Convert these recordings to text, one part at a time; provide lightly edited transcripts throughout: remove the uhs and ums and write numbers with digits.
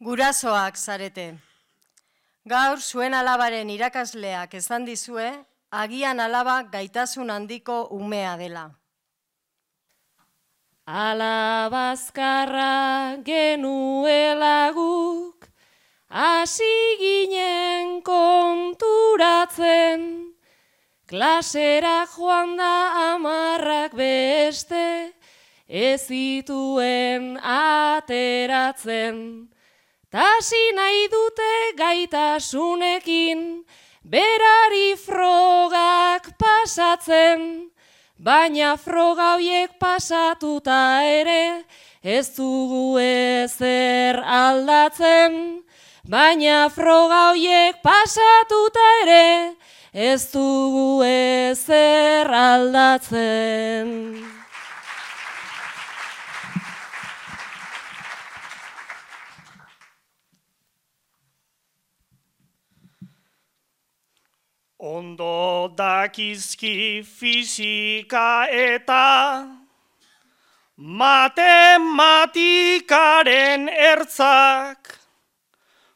Gurasoak zarete. Gaur zuen alabaren irakasleak esan dizue, agian alaba gaitasun handiko umea dela. Alabazkarra genuela guk, hasi ginen konturatzen, klasera joan da amarrak beste, ez zituen ateratzen. Tasi nahi dute gaitasunekin, berari frogak pasatzen, baina froga horiek pasatuta ere, ez dugu ezer aldatzen. Baina froga horiek pasatuta ere, ez dugu ezer aldatzen. Ondo dakizki fisika eta matematikaren ertzak,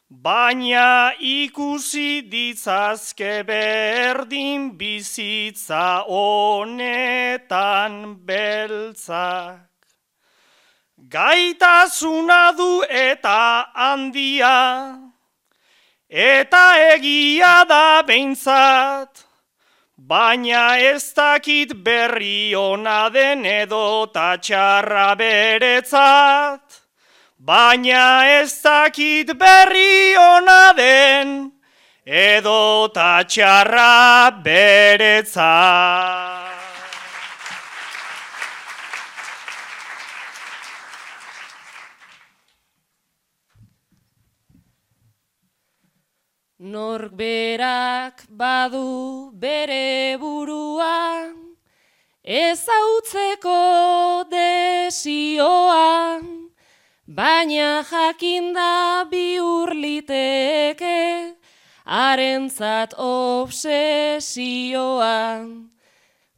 baina ikusi ditzazke berdin bizitza honetan beltzak. Gaitasuna du eta handia, eta egia da behintzat, baina ez dakit berri ona den edo txarra beretzat. Baina ez dakit berri ona den edo txarra beretzat. Nork berak badu bere burua, ezautzeko desioa, baina jakinda bihur liteke, harentzat obsesioa.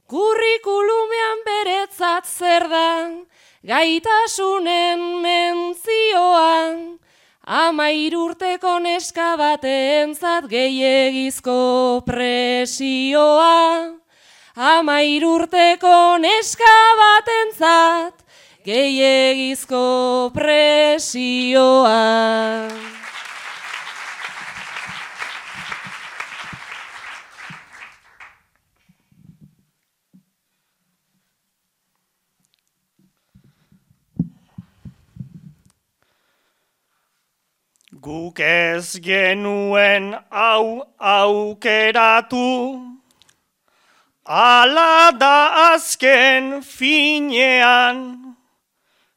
Kurrikulumean beretzat zer da, gaitasunen mentzioa, 13 urteko neska batentzat gehiegizko presioa. 13 urteko neska batentzat gehiegizko presioa. Guk ez genuen hau aukeratu, ala da azken finean,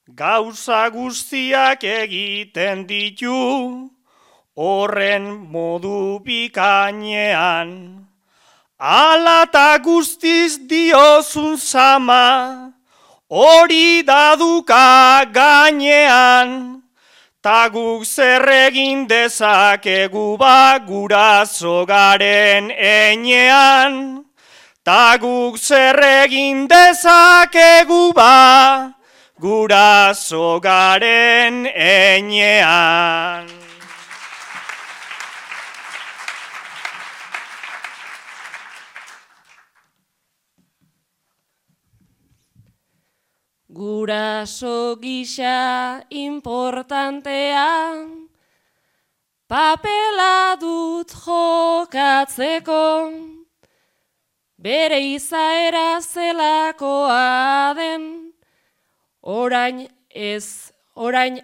gauza guztiak egiten ditu, horren modu bikainean. Ala ta guztiz diozun zama, hori daduka gainean. Ta guk zer egin dezakegu ba guraso garen enean. Ta guk zer egin dezakegu ba guraso garen enean. Guraso gisa importantea, papela dut jokatzeko, bere izaera zelakoa den, orain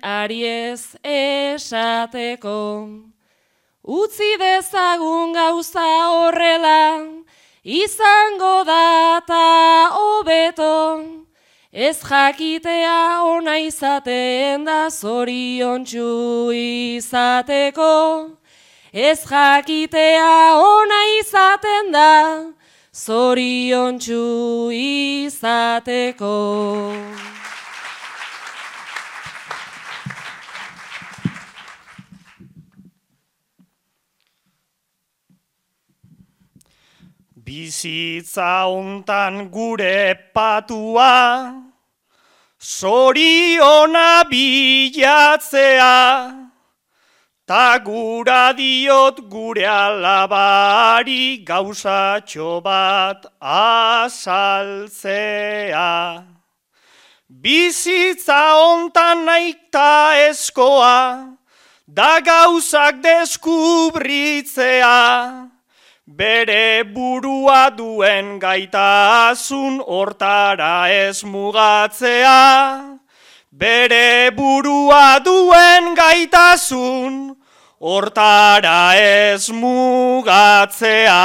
ari ez esateko. Utzi dezagun gauza horrela, izango da ta hobeto, ez jakitea ona izaten da zoriontsu izateko. Ez jakitea ona izaten da zoriontsu izateko. Bizitza hontan gure patua, zoriona bilatzea, ta gura diot gure alabari gauzatxo bat azaltzea. Bizitza hontan naikta eskoa, da gauzak deskubritzea, bere burua duen gaitasun hortara ez mugatzea, bere burua duen gaitasun hortara ez mugatzea.